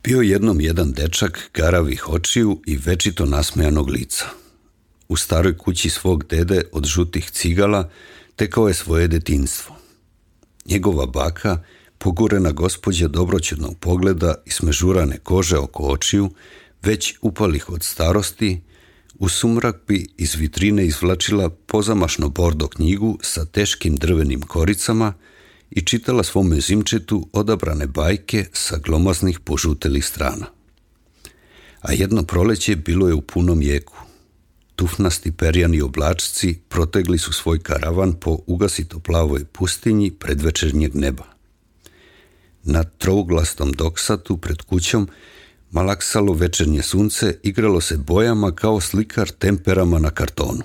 Bio jednom jedan dečak garavih očiju i večito nasmejanog lica. U staroj kući svog dede od žutih cigala tekao je svoje detinjstvo. Njegova baka, pogurena gospođa dobroćudnog pogleda i smežurane kože oko očiju, već upalih od starosti, u sumrak bi iz vitrine izvlačila pozamašno bordo knjigu sa teškim drvenim koricama i čitala svom mezimčetu odabrane bajke sa glomaznih požutelih strana. A jedno proleće bilo je u punom jeku. Tufnasti perjani oblačci protegli su svoj karavan po ugasito plavoj pustinji predvečernjeg neba. Na trouglastom doksatu pred kućom malaksalo večernje sunce, igralo se bojama kao slikar temperama na kartonu.